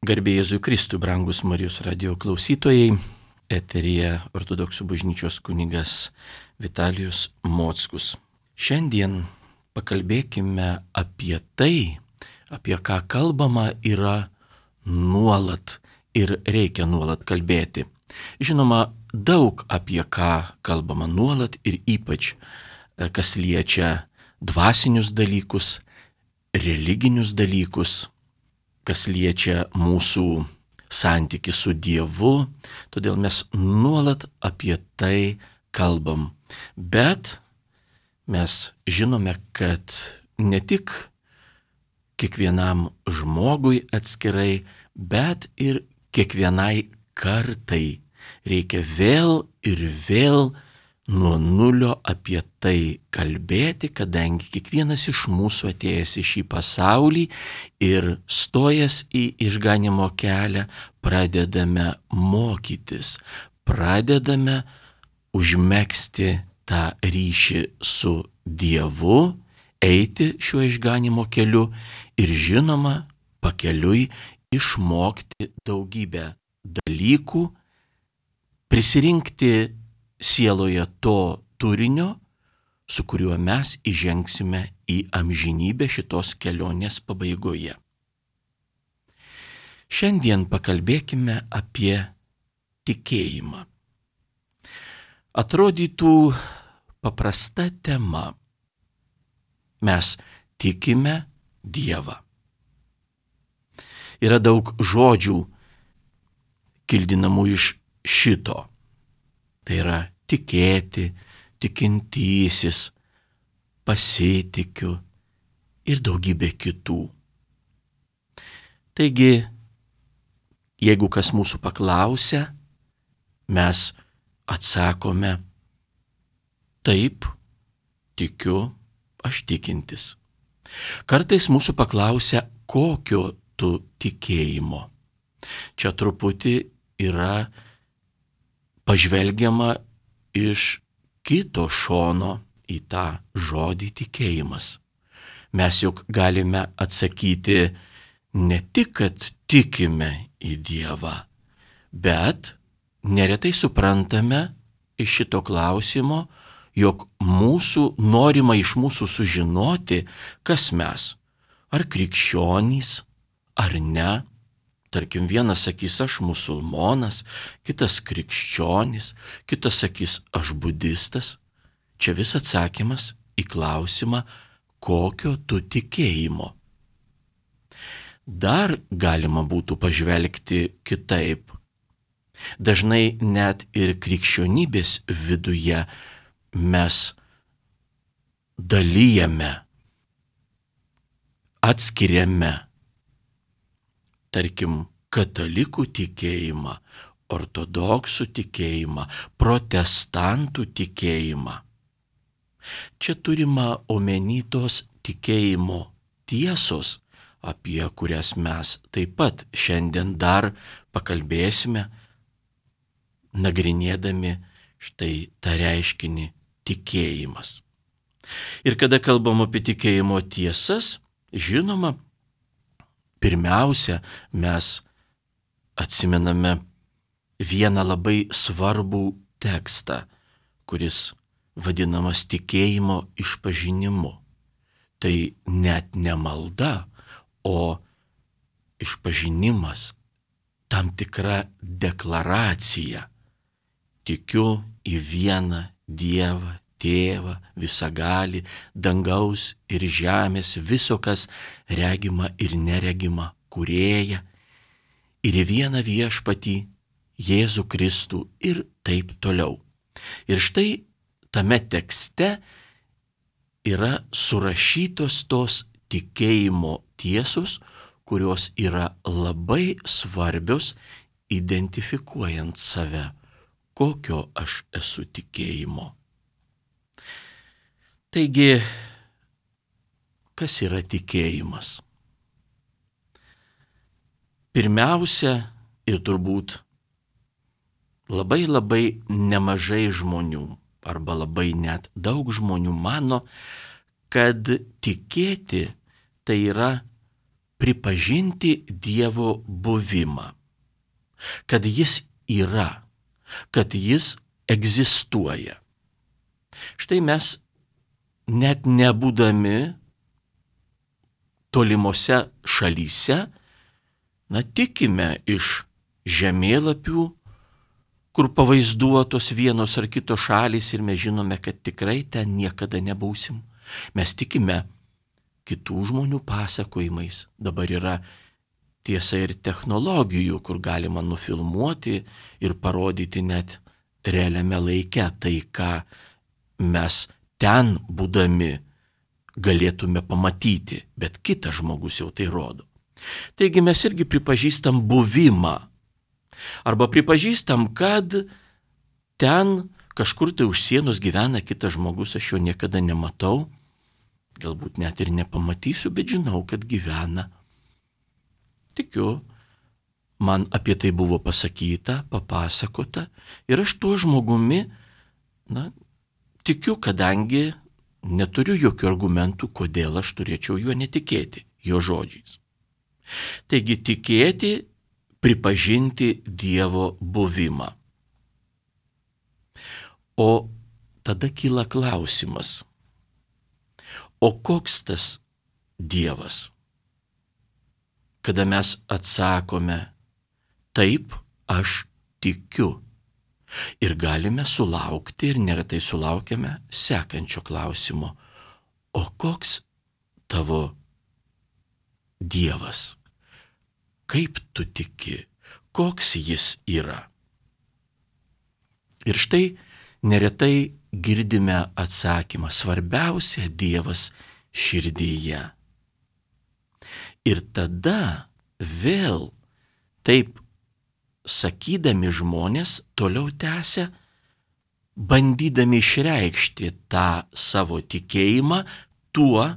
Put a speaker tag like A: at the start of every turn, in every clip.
A: Garbė Jėzui Kristui, brangus Marijos radijo klausytojai, eteryje Ortodoksų bažnyčios kunigas Vitalijus Mockus. Šiandien pakalbėkime apie tai, apie ką kalbama yra nuolat ir reikia nuolat kalbėti. Žinoma, daug apie ką kalbama nuolat ir ypač kas liečia dvasinius dalykus, religinius dalykus, kas liečia mūsų santykį su Dievu, todėl mes nuolat apie tai kalbam. Bet mes žinome, kad ne tik kiekvienam žmogui atskirai, bet ir kiekvienai kartai reikia vėl ir vėl nuo nulio apie tai kalbėti, kadangi kiekvienas iš mūsų atėjęs į šį pasaulį ir stojęs į išganymo kelią pradedame mokytis, pradedame užmegzti tą ryšį su Dievu, eiti šiuo išganymo keliu ir žinoma pakeliui išmokti daugybę dalykų, prisirinkti sieloje to turinio, su kuriuo mes įžengsime į amžinybę šitos kelionės pabaigoje. Šiandien pakalbėkime apie tikėjimą. Atrodytų paprasta tema. Mes tikime Dievą. Yra daug žodžių kildinamų iš šito. Tai yra tikėti, tikintysis, pasitikiu ir daugybė kitų. Taigi, jeigu kas mūsų paklausia, mes atsakome, taip, tikiu, aš tikintis. Kartais mūsų paklausia, kokio tu tikėjimo. Čia truputį yra pažvelgiama iš kito šono į tą žodį tikėjimas. Mes juk galime atsakyti ne tik, kad tikime į Dievą, bet neretai suprantame iš šito klausimo, jog norima iš mūsų sužinoti, kas mes, ar krikščionys, ar ne. Tarkim, vienas sakys, aš musulmonas, kitas krikščionis, kitas sakys, aš budistas. Čia vis atsakymas į klausimą, kokio tu tikėjimo. Dar galima būtų pažvelgti kitaip. Dažnai net ir krikščionybės viduje mes dalijame, atskiriame, tarkim, katalikų tikėjimą, ortodoksų tikėjimą, protestantų tikėjimą. Čia turima omeny tos tikėjimo tiesos, apie kurias mes taip pat šiandien dar pakalbėsime, nagrinėdami štai tą reiškinį tikėjimas. Ir kada kalbam apie tikėjimo tiesas, žinoma, pirmiausia, mes atsimename vieną labai svarbų tekstą, kuris vadinamas tikėjimo išpažinimu. Tai net ne malda, o išpažinimas, tam tikra deklaracija. Tikiu į vieną Dievą, Tėvą, visagalį, dangaus ir žemės, viso, kas regima ir neregima, kūrėją, ir į vieną viešpatį, Jėzų Kristų ir taip toliau. Ir štai tame tekste yra surašytos tos tikėjimo tiesos, kurios yra labai svarbios identifikuojant save, kokio aš esu tikėjimo. Taigi, kas yra tikėjimas? Pirmiausia ir turbūt labai nemažai žmonių arba labai net daug žmonių mano, kad tikėti tai yra pripažinti Dievo buvimą, kad jis yra, kad jis egzistuoja. Štai mes net nebūdami tolimose šalyse, tikime iš žemėlapių, kur pavaizduotos vienos ar kitos šalys ir mes žinome, kad tikrai ten niekada nebūsim. Mes tikime kitų žmonių pasakojimais. Dabar yra tiesa ir technologijų, kur galima nufilmuoti ir parodyti net realiame laike tai, ką mes ten būdami galėtume pamatyti, bet kitas žmogus jau tai rodo. Taigi mes irgi pripažįstam buvimą. Arba pripažįstam, kad ten kažkur tai už sienos gyvena kitas žmogus, aš jo niekada nematau, galbūt net ir nepamatysiu, bet žinau, kad gyvena. Tikiu, man apie tai buvo pasakyta, papasakota ir aš tuo žmogumi, tikiu, kadangi neturiu jokių argumentų, kodėl aš turėčiau juo netikėti, jo žodžiais. Taigi tikėti, pripažinti Dievo buvimą. O tada kyla klausimas, o koks tas Dievas? Kada mes atsakome, taip, aš tikiu. Ir galime sulaukti, ir neretai sulaukiame sekančio klausimo, o koks tavo Dievas? Kaip tu tiki? Koks jis yra? Ir štai neretai girdime atsakymą, svarbiausia Dievas širdyje. Ir tada vėl taip sakydami žmonės toliau tęsia, bandydami išreikšti tą savo tikėjimą tuo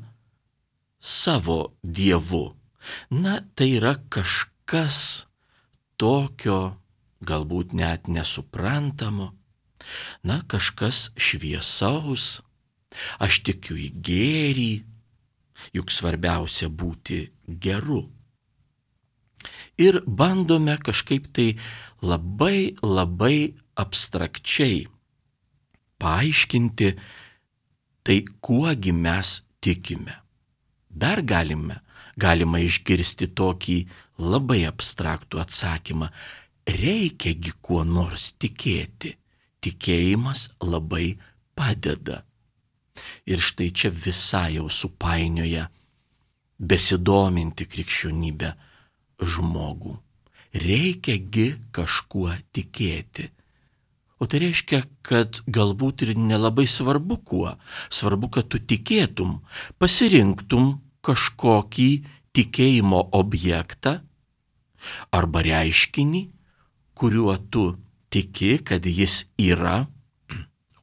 A: savo Dievu. Tai yra kažkas tokio, galbūt net nesuprantamo, kažkas šviesaus, aš tikiu į gėrį, juk svarbiausia būti geru. Ir bandome kažkaip tai labai abstrakčiai paaiškinti, tai kuogi mes tikime. Dar galima išgirsti tokį labai abstraktų atsakymą, reikiagi kuo nors tikėti, tikėjimas labai padeda. Ir štai čia visai jau supainioja besidominti krikščionybę žmogų. Reikiagi kažkuo tikėti. O tai reiškia, kad galbūt ir nelabai svarbu kuo. Svarbu, kad tu tikėtum, pasirinktum kažkokį tikėjimo objektą arba reiškinį, kuriuo tu tiki, kad jis yra,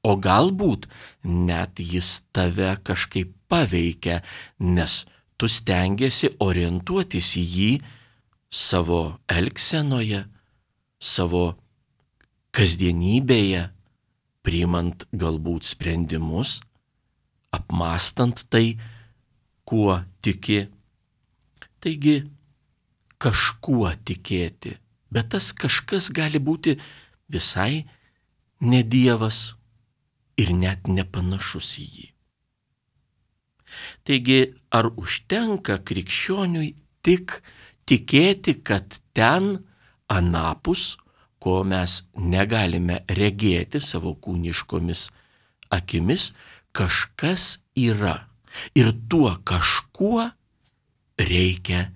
A: o galbūt net jis tave kažkaip paveikia, nes tu stengiesi orientuotis į jį savo elgsenoje, savo kasdienybėje, priimant galbūt sprendimus, apmąstant tai, kuo tiki. Taigi, kažkuo tikėti, bet tas kažkas gali būti visai ne Dievas ir net nepanašus į jį. Taigi, ar užtenka krikščioniui tik tikėti, kad ten anapus, ko mes negalime regėti savo kūniškomis akimis, kažkas yra. Ir tuo kažkuo reikia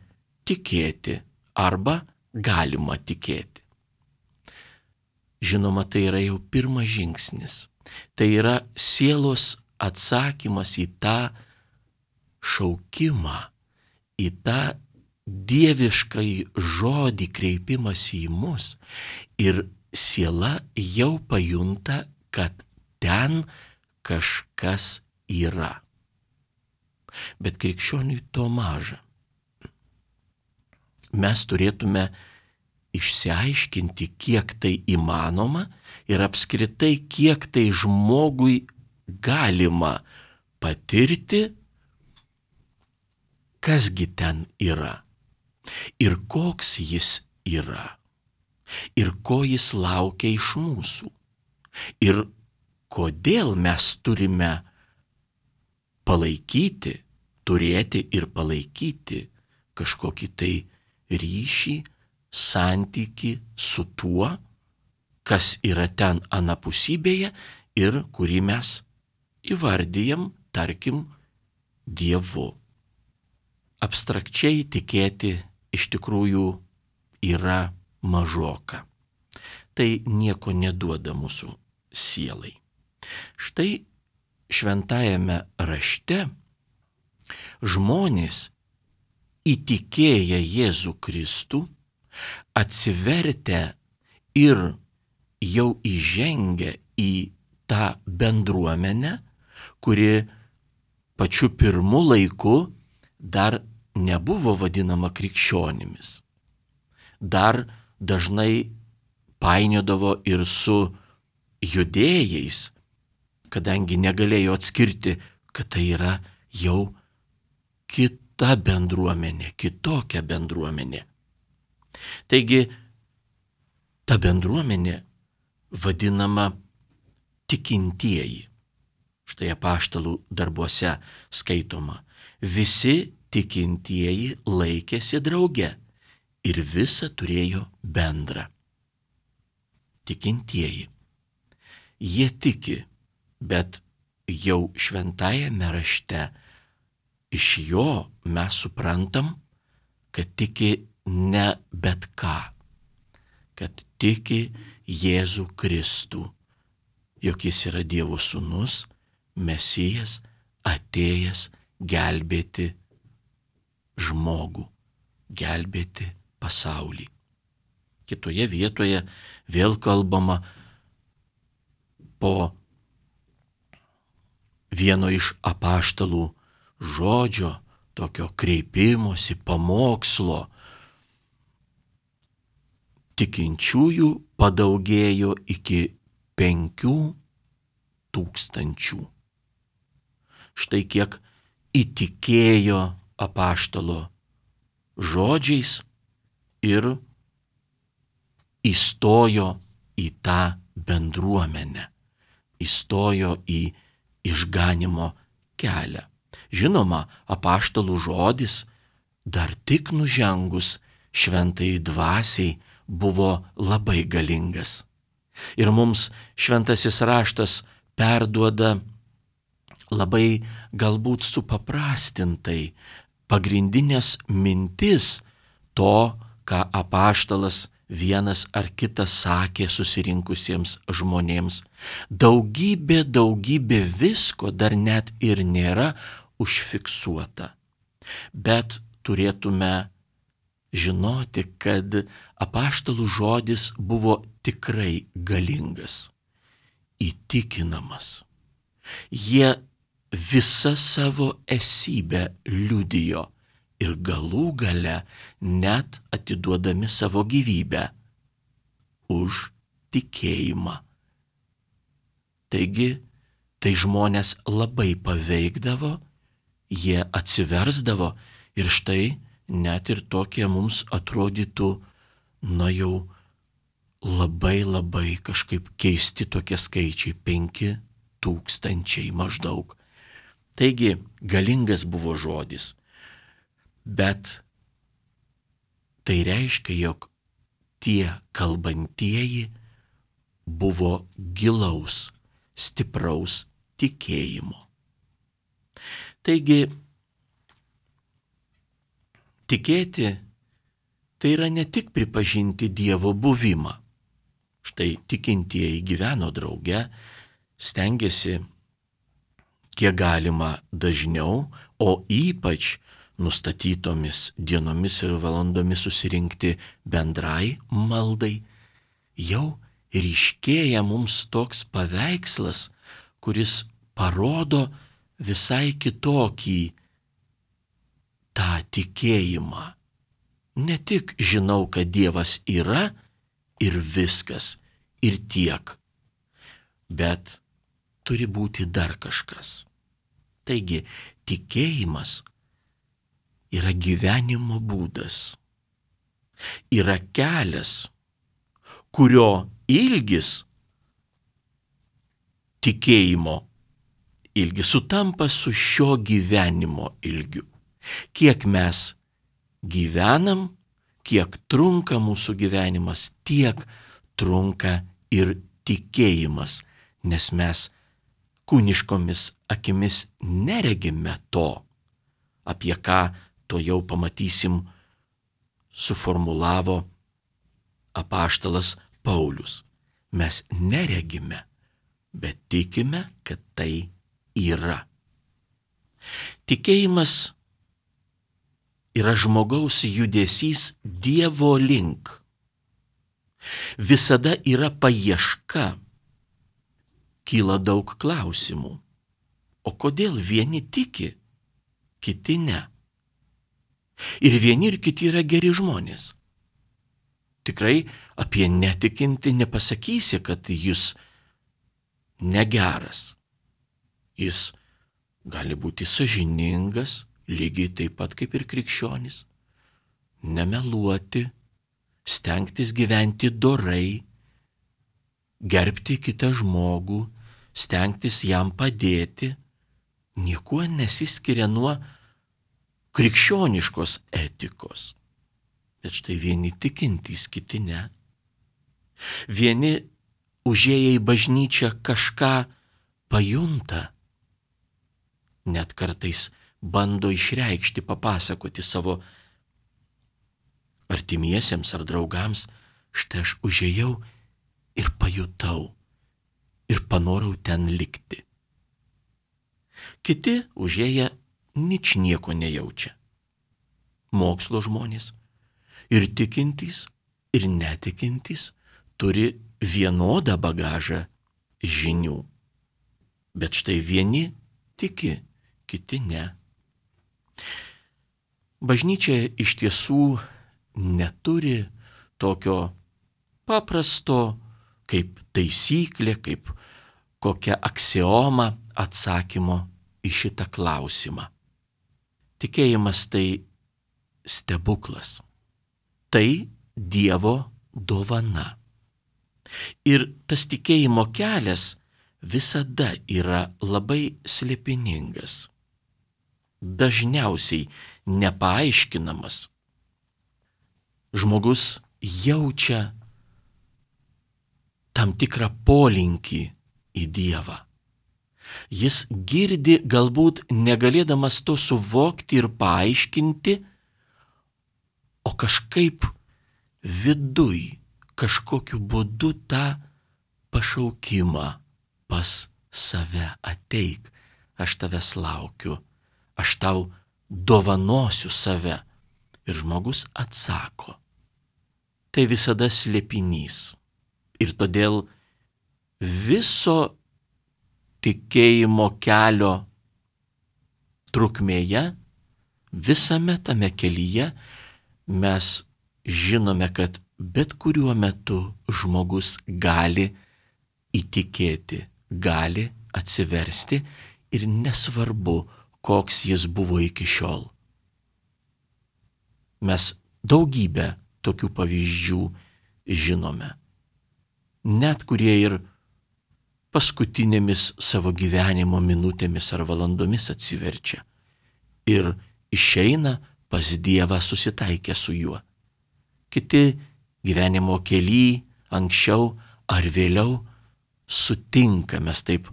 A: tikėti arba galima tikėti. Žinoma, tai yra jau pirmas žingsnis. Tai yra sielos atsakymas į tą šaukimą, į tą dieviškai žodį kreipimąsi į mus. Ir siela jau pajunta, kad ten kažkas yra. Bet krikščioniui to maža. Mes turėtume išsiaiškinti, kiek tai įmanoma ir apskritai, kiek tai žmogui galima patirti, kasgi ten yra. ir koks jis yra, ir ko jis laukia iš mūsų, ir kodėl mes turime palaikyti, turėti ir palaikyti kažkokį tai ryšį, santykį su tuo, kas yra ten anapusybėje ir kurį mes įvardyjam, tarkim, Dievu. Abstrakčiai tikėti iš tikrųjų yra mažoka. Tai nieko neduoda mūsų sielai. Štai šventajame rašte žmonės įtikėję Jėzų Kristų, atsivertę ir jau įžengę į tą bendruomenę, kuri pačiu pirmu laiku dar nebuvo vadinama krikščionimis. Dar dažnai painiodavo ir su judėjais, kadangi negalėjo atskirti, kad tai yra jau kita bendruomenė, kitokia bendruomenė. Taigi, ta bendruomenė vadinama tikintieji. Štai apaštalų darbuose skaitoma: visi tikintieji laikėsi drauge ir visa turėjo bendra. Tikintieji. Jie tiki, bet jau šventajame rašte iš jo mes suprantam, kad tiki ne bet ką, kad tiki Jėzų Kristų, jog jis yra Dievo sūnus, Mesijas, atėjęs gelbėti žmogų, gelbėti pasaulį. Kitoje vietoje vėl kalbama po vieno iš apaštalų žodžio, tokio kreipimosi, pamokslo. Tikinčiųjų padaugėjo iki 5,000. Štai kiek įtikėjo apaštalo žodžiais ir įstojo į tą bendruomenę, įstojo į išganimo kelią. Žinoma, apaštalų žodis dar tik nužengus šventajai dvasiai buvo labai galingas. Ir mums šventasis raštas perduoda labai galbūt supaprastintai pagrindinės mintis to, ką apaštalas vienas ar kitas sakė susirinkusiems žmonėms. Daugybė visko dar net ir nėra užfiksuota. Bet turėtume žinoti, kad apaštalų žodis buvo tikrai galingas, įtikinamas. Jie visą savo esybę liudijo ir galų gale net atiduodami savo gyvybę už tikėjimą. Taigi, tai žmonės labai paveikdavo, jie atsiversdavo ir štai net ir tokie mums atrodytų, jau labai kažkaip keisti tokie skaičiai, 5,000 maždaug. Taigi, galingas buvo žodis, bet tai reiškia, jog tie kalbantieji buvo gilaus, stipraus tikėjimo. Taigi, tikėti tai yra ne tik pripažinti Dievo buvimą. Štai tikintieji gyveno drauge, stengėsi kiek galima dažniau, o ypač nustatytomis dienomis ir valandomis susirinkti bendrai maldai. Jau ryškėja mums toks paveikslas, kuris parodo visai kitokį tą tikėjimą. Ne tik žinau, kad Dievas yra ir viskas, ir tiek, bet turi būti dar kažkas. Taigi, tikėjimas yra gyvenimo būdas, yra kelias, kurio ilgis, tikėjimo ilgis, sutampa su šio gyvenimo ilgiu. Kiek mes gyvenam, kiek trunka mūsų gyvenimas, tiek trunka ir tikėjimas, nes mes kūniškomis akimis neregime to, apie ką to jau pamatysim suformulavo apaštalas Paulius. Mes neregime, bet tikime, kad tai yra. Tikėjimas yra žmogaus judesys Dievo link. Visada yra paieška. Kyla daug klausimų. O kodėl vieni tiki, kiti ne? Ir vieni ir kiti yra geri žmonės. Tikrai apie netikintį nepasakysi, kad jis negeras. Jis gali būti sąžiningas, lygiai taip pat kaip ir krikščionis. Nemeluoti, stengtis gyventi dorai, gerbti kitą žmogų, stengtis jam padėti, niekuo nesiskiria nuo krikščioniškos etikos. Bet štai vieni tikintys, kiti ne. Vieni užėję į bažnyčią kažką pajunta, net kartais bando išreikšti, papasakoti savo artimiesiems ar draugams, štai aš užėjau ir pajutau ir panorau ten likti. Kiti užėję ničnieko nejaučia. Mokslo žmonės ir tikintys, ir netikintys turi vienodą bagažą žinių. Bet štai vieni tiki, kiti ne. Bažnyčia iš tiesų neturi tokio paprasto kaip taisyklė, kaip kokia aksioma atsakymo į šitą klausimą. Tikėjimas tai stebuklas. Tai Dievo dovana. Ir tas tikėjimo kelias visada yra labai slėpiningas. Dažniausiai nepaaiškinamas. Žmogus jaučia tam tikrą polinkį į Dievą. Jis girdi, galbūt negalėdamas to suvokti ir paaiškinti, o kažkaip viduj, kažkokiu būdu tą pašaukimą pas save ateik, aš tavęs laukiu, aš tau dovanosiu save. Ir žmogus atsako. Tai visada slėpinys. Ir todėl viso tikėjimo kelio trukmėje, visame tame kelyje mes žinome, kad bet kuriuo metu žmogus gali įtikėti, gali atsiversti ir nesvarbu, koks jis buvo iki šiol. Mes daugybę tokių pavyzdžių žinome. Net kurie ir paskutinėmis savo gyvenimo minutėmis ar valandomis atsiverčia ir išeina pas Dievą susitaikę su juo. Kiti gyvenimo kely anksčiau ar vėliau sutinka, mes taip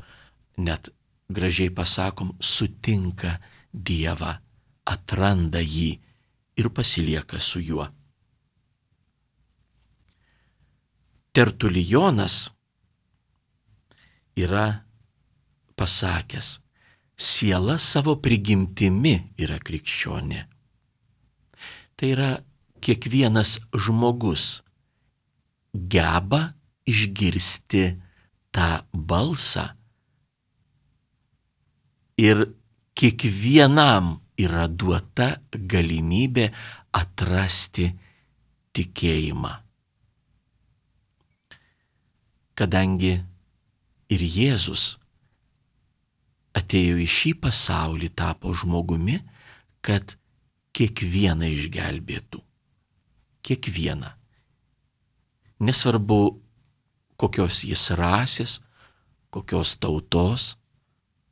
A: net gražiai pasakom, sutinka Dievą, atranda jį ir pasilieka su juo. Tertulijonas yra pasakęs, siela savo prigimtimi yra krikščionė. Tai yra kiekvienas žmogus geba išgirsti tą balsą ir kiekvienam yra duota galimybė atrasti tikėjimą. Kadangi ir Jėzus atėjo į šį pasaulį, tapo žmogumi, kad kiekvieną išgelbėtų. kiekvieną. Nesvarbu, kokios jis rasės, kokios tautos,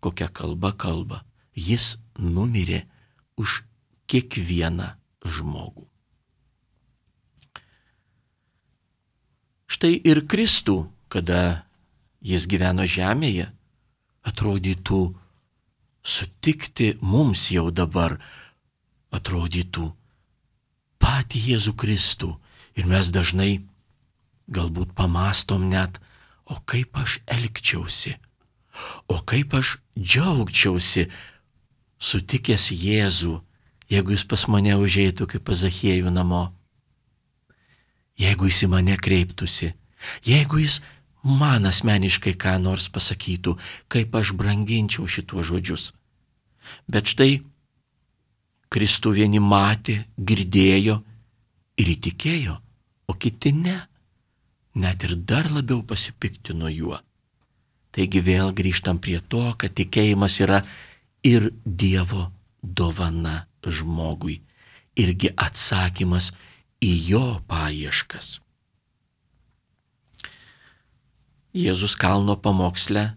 A: kokią kalbą kalba. Jis numirė už kiekvieną žmogų. Štai ir Kristų, kada jis gyveno žemėje, atrodytų sutikti mums jau dabar, atrodytų patį Jėzų Kristų. Ir mes dažnai galbūt pamastom net, o kaip aš elgčiausi, o kaip aš džiaugčiausi sutikęs Jėzų, jeigu jis pas mane užeitų kaip pas Zachiejų namo, jeigu jis į mane kreiptųsi, jeigu jis man asmeniškai ką nors pasakytų, kaip aš branginčiau šituos žodžius. Bet štai Kristų vieni matė, girdėjo ir įtikėjo, o kiti ne, net ir dar labiau pasipiktino juo. Taigi vėl grįžtam prie to, kad tikėjimas yra ir Dievo dovana žmogui, irgi atsakymas į jo paieškas. Jėzus kalno pamoksle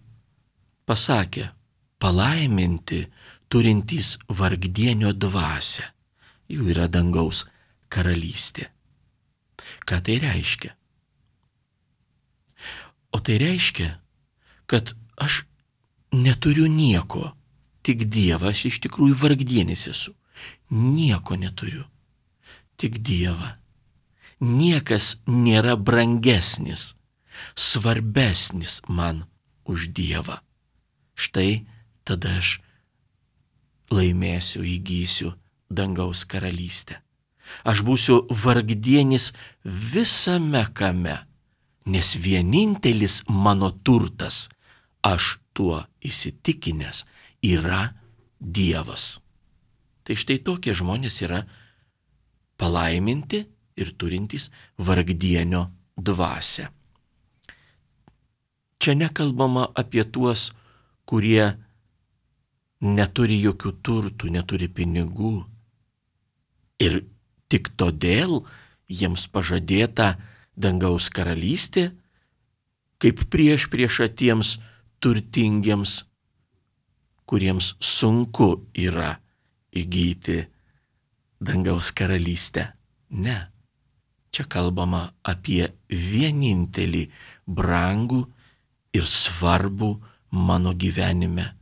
A: pasakė, palaiminti turintys vargdienio dvasią, jų yra dangaus karalystė. Ką tai reiškia? O tai reiškia, kad aš neturiu nieko, tik Dievą, aš iš tikrųjų vargdienis esu. Nieko neturiu, tik Dievą. Niekas nėra brangesnis, svarbesnis man už Dievą. Štai tada aš laimėsiu, įgysiu dangaus karalystę. Aš būsiu vargdienis visame kame, nes vienintelis mano turtas, aš tuo įsitikinęs, yra Dievas. Tai štai tokie žmonės yra palaiminti ir turintys vargdienio dvasią. Čia nekalbama apie tuos, kurie neturi jokių turtų, neturi pinigų. Ir tik todėl jiems pažadėta dangaus karalystė, kaip priešprieša tiems turtingiems, kuriems sunku yra įgyti dangaus karalystę. Ne. Čia kalbama apie vienintelį brangų ir svarbų mano gyvenime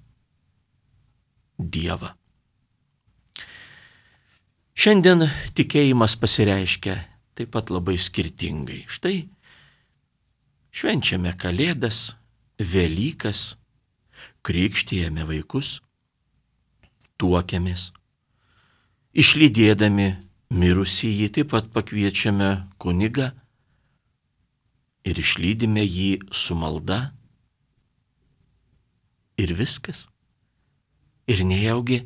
A: Dievą. Šiandien tikėjimas pasireiškia taip pat labai skirtingai. Štai švenčiame Kalėdas, Velykas, krikštijame vaikus, tuokiamės, išlydėdami mirusįjį, taip pat pakviečiame kunigą ir išlydime jį su malda. Ir viskas. Ir nejaugi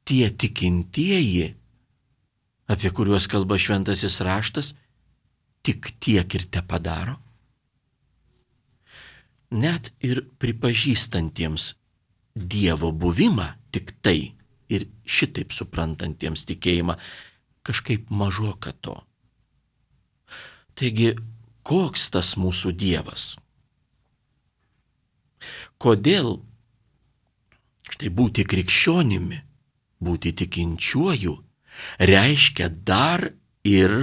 A: tie tikintieji, apie kuriuos kalba šventasis raštas, tik tiek ir tepadaro. Net ir pripažįstantiems Dievo buvimą tik tai ir šitaip suprantantiems tikėjimą, kažkaip mažoka to. Taigi, koks tas mūsų Dievas? Kodėl štai būti krikščionimi, būti tikinčiuoju, reiškia dar ir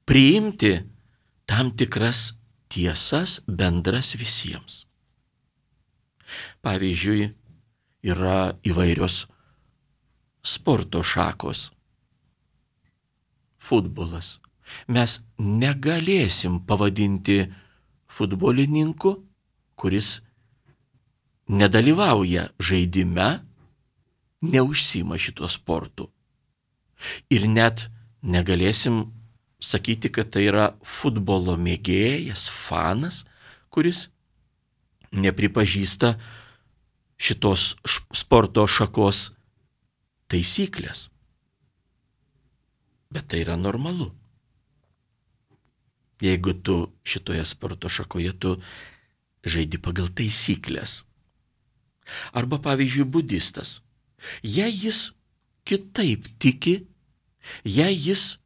A: priimti tam tikras tiesas bendras visiems. Pavyzdžiui, yra įvairios sporto šakos. Futbolas. Mes negalėsim pavadinti futbolininku, kuris nedalyvauja žaidime, neužsiima šituo sportu. Ir net negalėsim sakyti, kad tai yra futbolo mėgėjas, fanas, kuris nepripažįsta šitos sporto šakos taisyklės. Bet tai yra normalu. Jeigu tu šitoje sporto šakoje tu žaidi pagal taisyklės. Arba pavyzdžiui budistas. Jei jis kitaip tiki, jei jis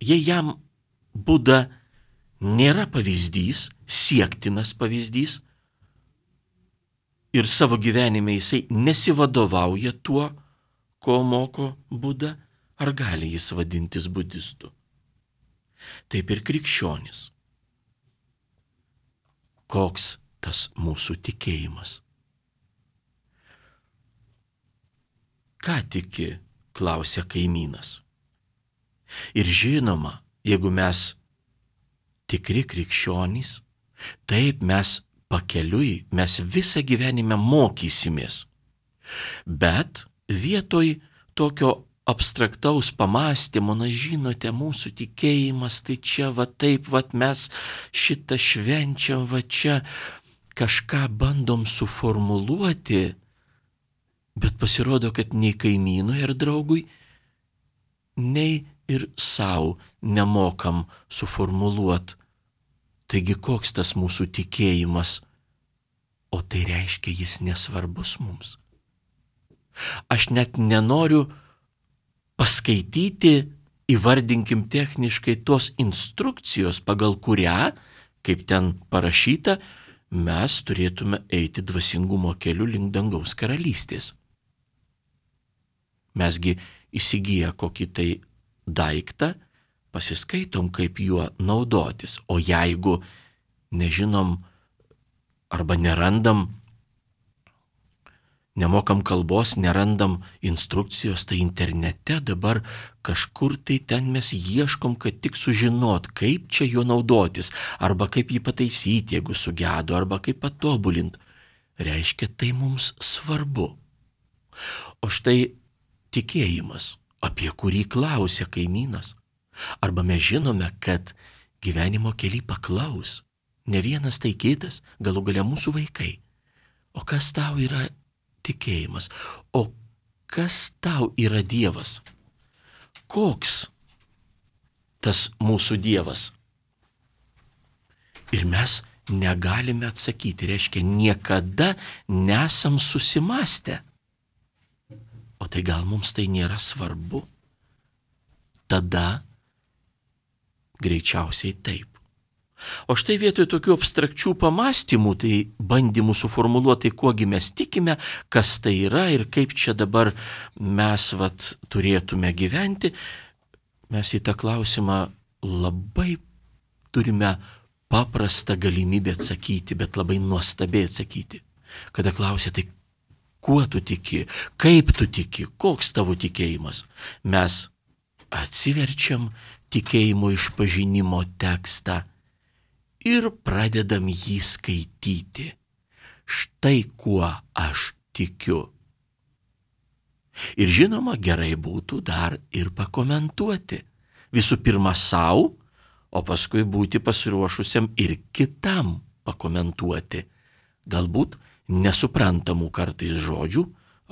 A: jei jam Buda nėra pavyzdys, siektinas pavyzdys, ir savo gyvenime jisai nesivadovauja tuo, ko moko Buda, ar gali jis vadintis budistu? Taip ir krikščionis. Koks tas mūsų tikėjimas? Ką tiki, klausia kaimynas. Ir žinoma, jeigu mes tikri krikščionys, taip mes pakeliui, mes visą gyvenimą mokysimės. Bet vietoj tokio abstraktaus pamąstymo, na žinote, mūsų tikėjimas, tai čia va taip, va mes šitą švenčiam, va čia kažką bandom suformuluoti, bet pasirodo, kad nei kaimynui ir draugui, nei ir savo nemokam suformuluoti. Taigi koks tas mūsų tikėjimas, o tai reiškia, jis nesvarbus mums. Aš net nenoriu paskaityti, įvardinkim techniškai, tos instrukcijos, pagal kurią, kaip ten parašyta, mes turėtume eiti dvasingumo keliu link dangaus karalystės. Mesgi įsigiję kokį tai daiktą, pasiskaitom, kaip juo naudotis. O jeigu nežinom arba nerandam, nemokam kalbos, nerandam instrukcijos, tai internete dabar kažkur tai ten mes ieškom, kad tik sužinot, kaip čia juo naudotis, arba kaip jį pataisyti, jeigu sugedo, arba kaip patobulinti. Reiškia, tai mums svarbu. O štai tikėjimas, apie kurį klausia kaimynas, arba mes žinome, kad gyvenimo kely paklaus ne vienas, tai kitas, galų gale mūsų vaikai. O kas tau yra tikėjimas? O kas tau yra Dievas? Koks tas mūsų Dievas? Ir mes negalime atsakyti, reiškia, niekada nesam susimąstę. O tai gal mums tai nėra svarbu? Tada greičiausiai taip. O štai vietoj tokių abstrakčių pamąstymų, tai bandymų suformuluoti, kuogi mes tikime, kas tai yra ir kaip čia dabar mes turėtume gyventi, mes į tą klausimą labai turime paprastą galimybę atsakyti, bet labai nuostabiai atsakyti. Kada klausia, tai kuo tu tiki, kaip tu tiki, koks tavo tikėjimas, mes atsiverčiam tikėjimo išpažinimo tekstą ir pradedam jį skaityti. Štai kuo aš tikiu. Ir žinoma, gerai būtų dar ir pakomentuoti. Visų pirma savo, o paskui būti pasiruošusiam ir kitam pakomentuoti. Galbūt nesuprantamų kartais žodžių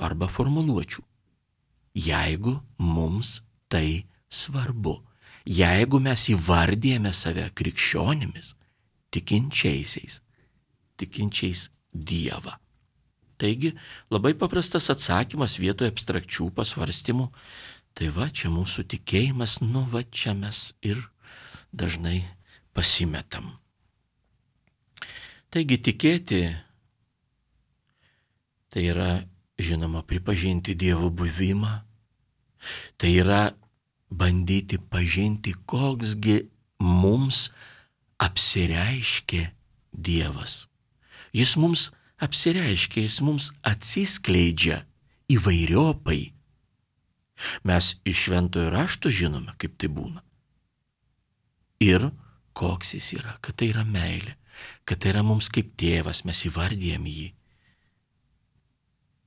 A: arba formuluočių. Jeigu mums tai svarbu, jeigu mes įvardijame save krikščionimis, tikinčiais Dievą. Taigi, labai paprastas atsakymas vietoje abstrakčių pasvarstymų. Tai va, čia mūsų tikėjimas, va čia mes ir dažnai pasimetam. Taigi tikėti, tai yra, žinoma, pripažinti Dievo buvimą, tai yra bandyti pažinti, koksgi mums apsireiškė Dievas. Jis mums apsireiškia, jis mums atsiskleidžia įvairiopai. Mes iš Šventojo rašto žinome, kaip tai būna. Ir koks jis yra, kad tai yra meilė, kad tai yra mums kaip tėvas, mes įvardijam jį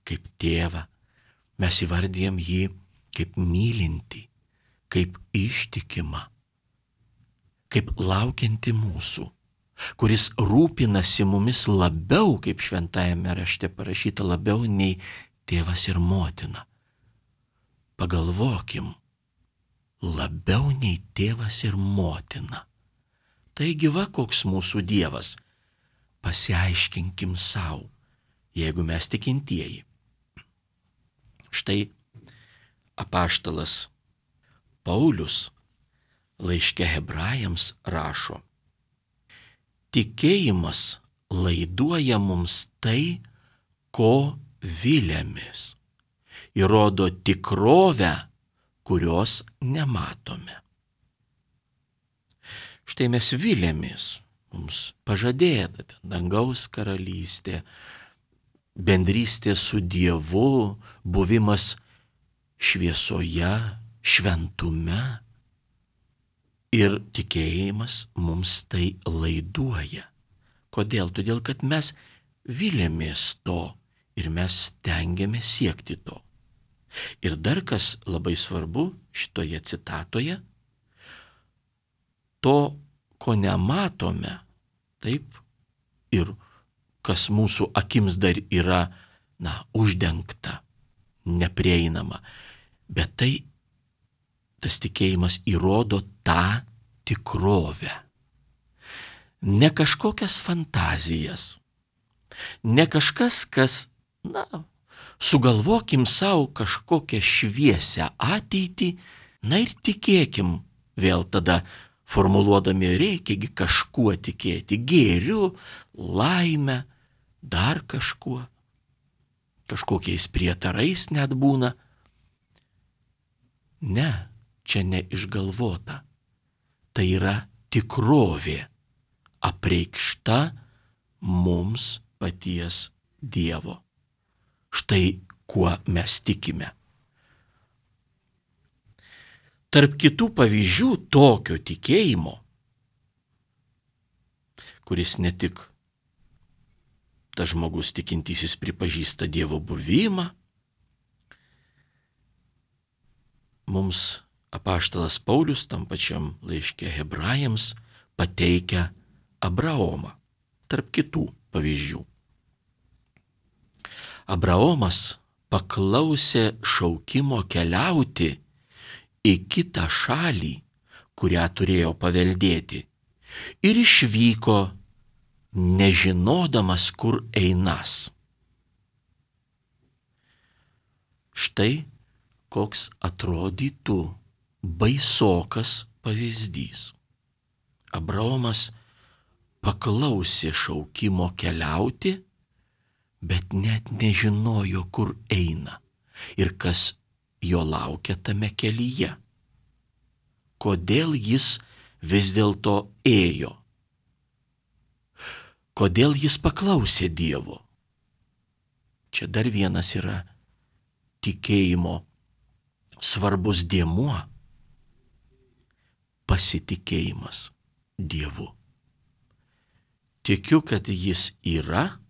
A: kaip tėvą, mes įvardijam jį kaip mylinti, kaip ištikimą, kaip laukianti mūsų, kuris rūpinasi mumis labiau, kaip šventajame rašte parašyta, labiau nei tėvas ir motina. Pagalvokim, labiau nei tėvas ir motina. Taigi va, koks mūsų Dievas. Pasiaiškinkim savo, jeigu mes tikintieji. Štai apaštalas Paulius laiške Hebrajams rašo: tikėjimas laiduoja mums tai, ko viliamės, įrodo tikrovę, kurios nematome. Štai mes viliamės, mums pažadėta dangaus karalystė, bendrystė su Dievu, buvimas šviesoje, šventume. Ir tikėjimas mums tai laiduoja. Kodėl? Todėl, kad mes viliamės to ir mes stengiamės siekti to. Ir dar kas labai svarbu šitoje citatoje, to, ko nematome, taip, ir kas mūsų akims dar yra, uždengta, neprieinama, bet tas tikėjimas įrodo tą tikrovę. Ne kažkokias fantazijas, ne kažkas, kas, sugalvokim savo kažkokią šviesią ateitį, ir tikėkim vėl tada, formuluodami reikiagi kažkuo tikėti, gėriu, laime, dar kažkuo, kažkokiais prietarais net būna. Ne, čia neišgalvota. Tai yra tikrovė, apreikšta mums paties Dievo. Štai kuo mes tikime. Tarp kitų pavyzdžių tokio tikėjimo, kuris ne tik tas žmogus tikintysis pripažįsta Dievo buvimą, mums apaštalas Paulius tam pačiam laiške Hebrajams pateikia Abraomą, tarp kitų pavyzdžių. Abraomas paklausė šaukimo keliauti į kitą šalį, kurią turėjo paveldėti, ir išvyko, nežinodamas, kur einas. Štai koks atrodytų baisokas pavyzdys. Abraomas paklausė šaukimo keliauti, bet net nežinojo, kur eina ir kas jo laukia tame kelyje. Kodėl jis vis dėlto ėjo? Kodėl jis paklausė Dievo? Čia dar vienas yra tikėjimo svarbus dėmuo – pasitikėjimas Dievu. Tikiu, kad jis yra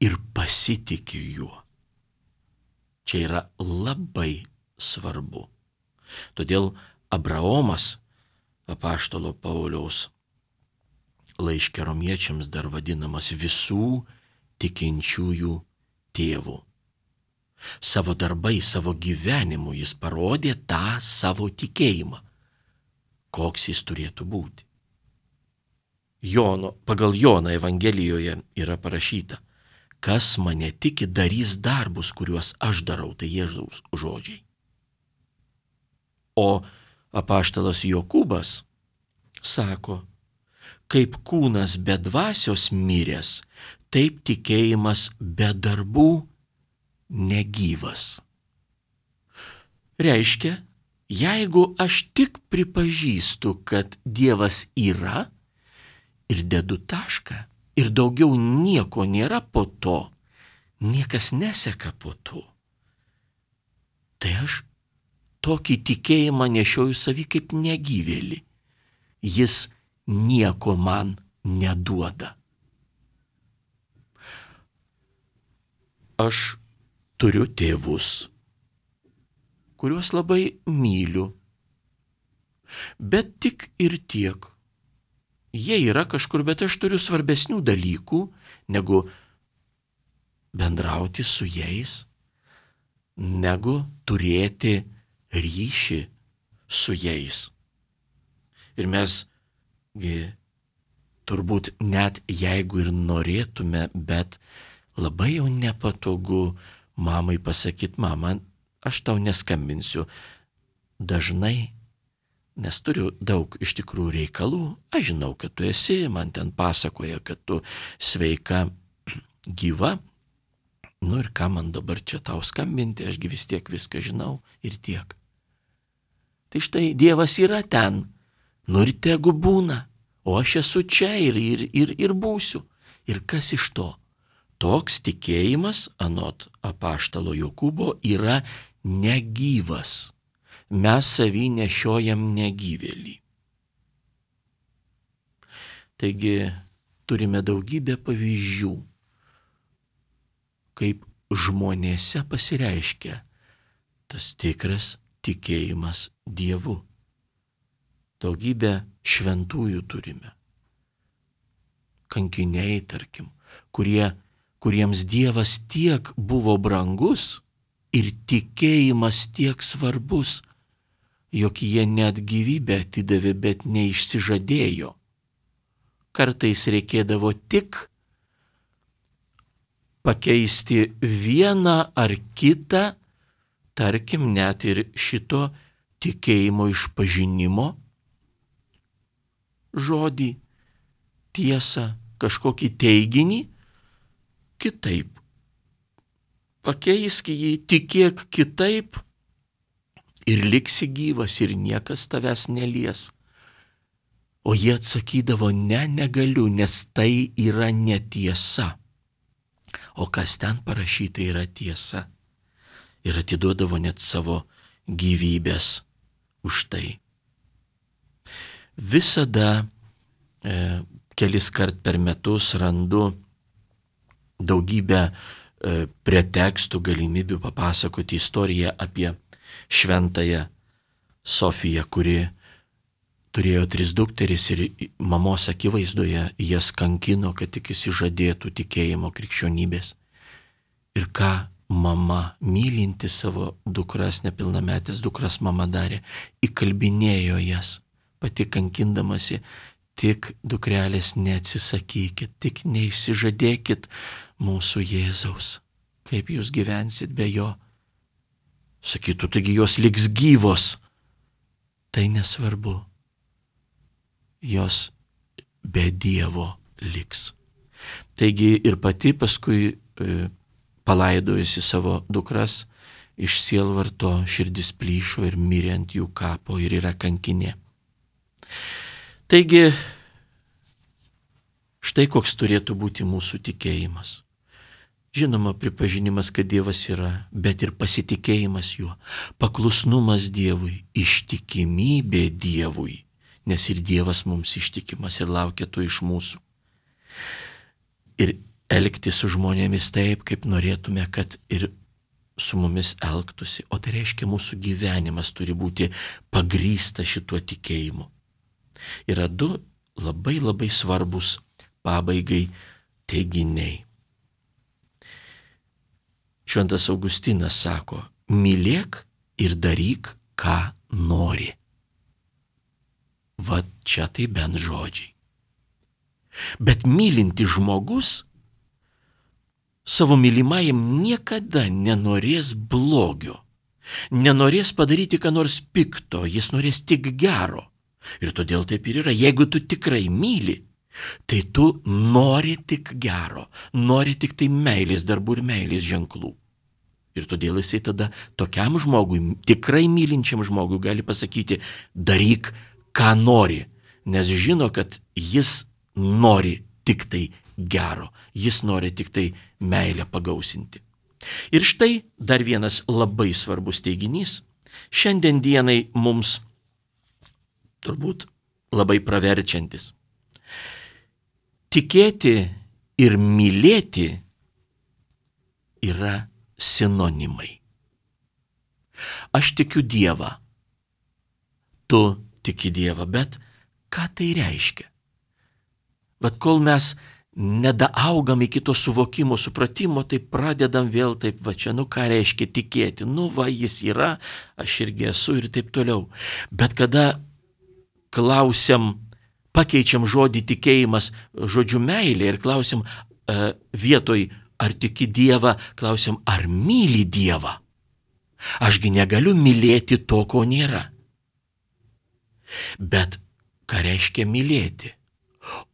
A: ir pasitikiu juo. Čia yra labai svarbu. Todėl Abraomas, apaštalo Pauliaus laiške Romiečiams dar vadinamas visų tikinčiųjų tėvu. Savo darbais, savo gyvenimu jis parodė tą savo tikėjimą. Koks jis turėtų būti? Pagal Joną Evangelijoje yra parašyta: kas mane tiki, darys darbus, kuriuos aš darau, tai Jėzaus žodžiai. O apaštalas Jokūbas sako: kaip kūnas be dvasios miręs, taip tikėjimas be darbų negyvas. Reiškia, jeigu aš tik pripažįstu, kad Dievas yra ir dedu tašką ir daugiau nieko nėra po to, niekas neseka po to, tai aš tokį tikėjimą nešioju savy kaip negyvėlį. Jis nieko man neduoda. Aš turiu tėvus, kuriuos labai myliu, bet tik ir tiek. Jie yra kažkur, bet aš turiu svarbesnių dalykų, negu bendrauti su jais, negu turėti ryšį su jais. Ir mes turbūt net jeigu ir norėtume, bet labai jau nepatogu mamai pasakyti: mama, aš tau neskambinsiu. Dažnai nes turiu daug iš tikrųjų reikalų, aš žinau, kad tu esi, man ten pasakoja, kad tu sveika, gyva, nu ir ką man dabar čia tau skambinti, ašgi vis tiek viską žinau ir tiek. Tai štai Dievas yra ten, nu ir tegu būna, o aš esu čia ir būsiu. Ir kas iš to? Toks tikėjimas, anot apaštalo Jokūbo, yra negyvas. Mes savy nešiojam negyvėlį. Taigi turime daugybę pavyzdžių, kaip žmonėse pasireiškia tas tikras tikėjimas Dievu. Daugybę šventųjų turime. Kankiniai, tarkim, kuriems Dievas tiek buvo brangus ir tikėjimas tiek svarbus, jog jie net gyvybę atidavė, bet neišsižadėjo. Kartais reikėdavo tik pakeisti vieną ar kitą, tarkim, net ir šito tikėjimo išpažinimo žodį, tiesą, kažkokį teiginį, kitaip. Pakeisk jį, tikėk kitaip ir liksi gyvas ir niekas tavęs nelies. O jie atsakydavo, ne, negaliu, nes tai yra netiesa. O kas ten parašyta yra tiesa. Ir atiduodavo net savo gyvybės už tai. Visada kelis kart per metus randu daugybę pretekstų, galimybių papasakoti istoriją apie šventąją Sofiją, kuri turėjo 3 dukteris ir mamos akivaizdoje jas kankino, kad tik išsižadėtų tikėjimo krikščionybės. Ir ką mama, mylinti savo dukras, nepilnametės dukras mama darė, įkalbinėjo jas, pati kankindamasi, tik dukrelės neatsisakykit, tik neišsižadėkit mūsų Jėzaus. Kaip jūs gyvensit be jo? Sakytų, taigi jos liks gyvos. Tai nesvarbu. Jos be Dievo liks. Taigi ir pati paskui palaidojusi savo dukras, iš sielvarto širdis plyšo ir mirė ant jų kapo ir yra kankinė. Taigi, štai koks turėtų būti mūsų tikėjimas. Žinoma, pripažinimas, kad Dievas yra, bet ir pasitikėjimas juo, paklusnumas Dievui, ištikimybė Dievui, nes ir Dievas mums ištikimas ir laukia to iš mūsų. Ir elgtis su žmonėmis taip, kaip norėtume, kad ir su mumis elgtųsi. O tai reiškia, mūsų gyvenimas turi būti pagrįstas šituo tikėjimu. Yra 2 labai svarbus pabaigai teiginiai. Šventas Augustinas sako, mylėk ir daryk, ką nori. Va čia tai bent žodžiai. Bet mylinti žmogus savo mylimajam niekada nenorės blogio, nenorės padaryti ką nors pikto, jis norės tik gero. Ir todėl taip ir yra. Jeigu tu tikrai myli, tai tu nori tik gero, nori tik tai meilės darbų ir meilės ženklų. Ir todėl jisai tada tokiam žmogui, tikrai mylinčiam žmogui gali pasakyti, daryk, ką nori, nes žino, kad jis nori tik tai gero, jis nori tik tai meilę pagausinti. Ir štai dar vienas labai svarbus teiginys, šiandien dienai mums turbūt labai praverčiantis. Tikėti ir mylėti yra sinonimai. Aš tikiu Dievą, tu tiki Dievą, bet ką tai reiškia? Bet kol mes nedaaugam iki to suvokimo, supratimo, tai pradedam vėl taip, va čia, ką reiškia tikėti, va jis yra, aš irgi esu ir taip toliau. Bet kada klausiam, pakeičiam žodį tikėjimas žodžiu meilė ir klausiam vietoj ar tiki Dievą, klausiam ar myli Dievą. Ašgi negaliu mylėti to, ko nėra. Bet ką reiškia mylėti?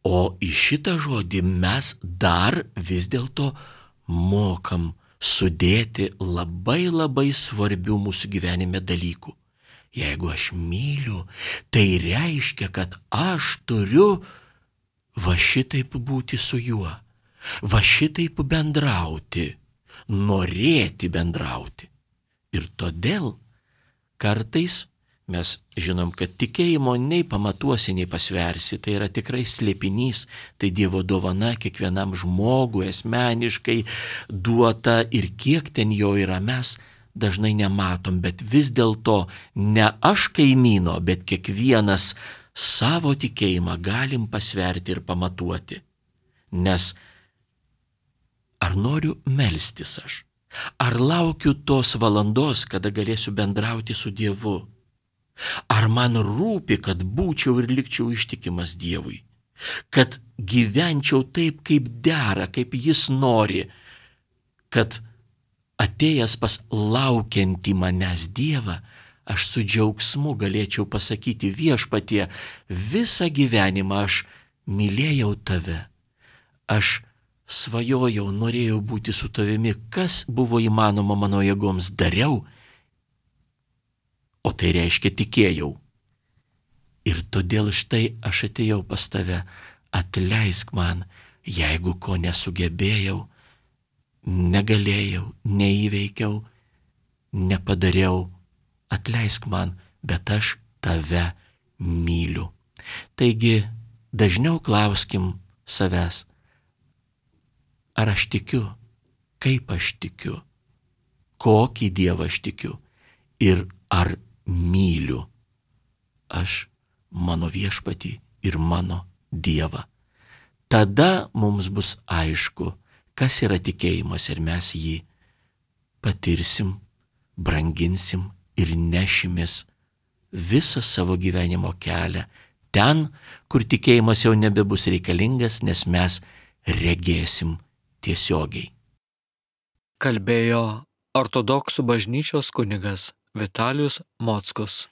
A: O į šitą žodį mes dar vis dėlto mokam sudėti labai labai svarbių mūsų gyvenime dalykų. Jeigu aš myliu, tai reiškia, kad aš turiu va šitaip būti su juo, va šitaip bendrauti, norėti bendrauti. Ir todėl kartais mes žinom, kad tikėjimo nei pamatuosi, nei pasversi, tai yra tikrai slėpinys, tai Dievo dovana kiekvienam žmogui asmeniškai duota ir kiek ten jo yra mes dažnai nematom, bet vis dėlto ne aš kaimyno, bet kiekvienas savo tikėjimą galim pasverti ir pamatuoti. Nes ar noriu melstis aš? Ar laukiu tos valandos, kada galėsiu bendrauti su Dievu? Ar man rūpi, kad būčiau ir likčiau ištikimas Dievui? Kad gyvenčiau taip, kaip dera, kaip Jis nori? Kad atėjęs pas laukiantį manęs Dievą, aš su džiaugsmu galėčiau pasakyti: Viešpatie, visą gyvenimą aš mylėjau tave. Aš svajojau, norėjau būti su tavimi, kas buvo įmanoma mano jėgoms dariau, o tai reiškia tikėjau. Ir todėl štai aš atėjau pas tave, atleisk man, jeigu ko nesugebėjau, negalėjau, neįveikiau, nepadariau, atleisk man, bet aš tave myliu. Taigi dažniau klauskim savęs, ar aš tikiu, kaip aš tikiu, kokį Dievą aš tikiu ir ar myliu aš mano Viešpatį ir mano Dievą. Tada mums bus aišku, kas yra tikėjimas ir mes jį patirsim, branginsim ir nešimės visą savo gyvenimo kelią ten, kur tikėjimas jau nebebus reikalingas, nes mes regėsim tiesiogiai.
B: Kalbėjo ortodoksų bažnyčios kunigas Vitalijus Mockus.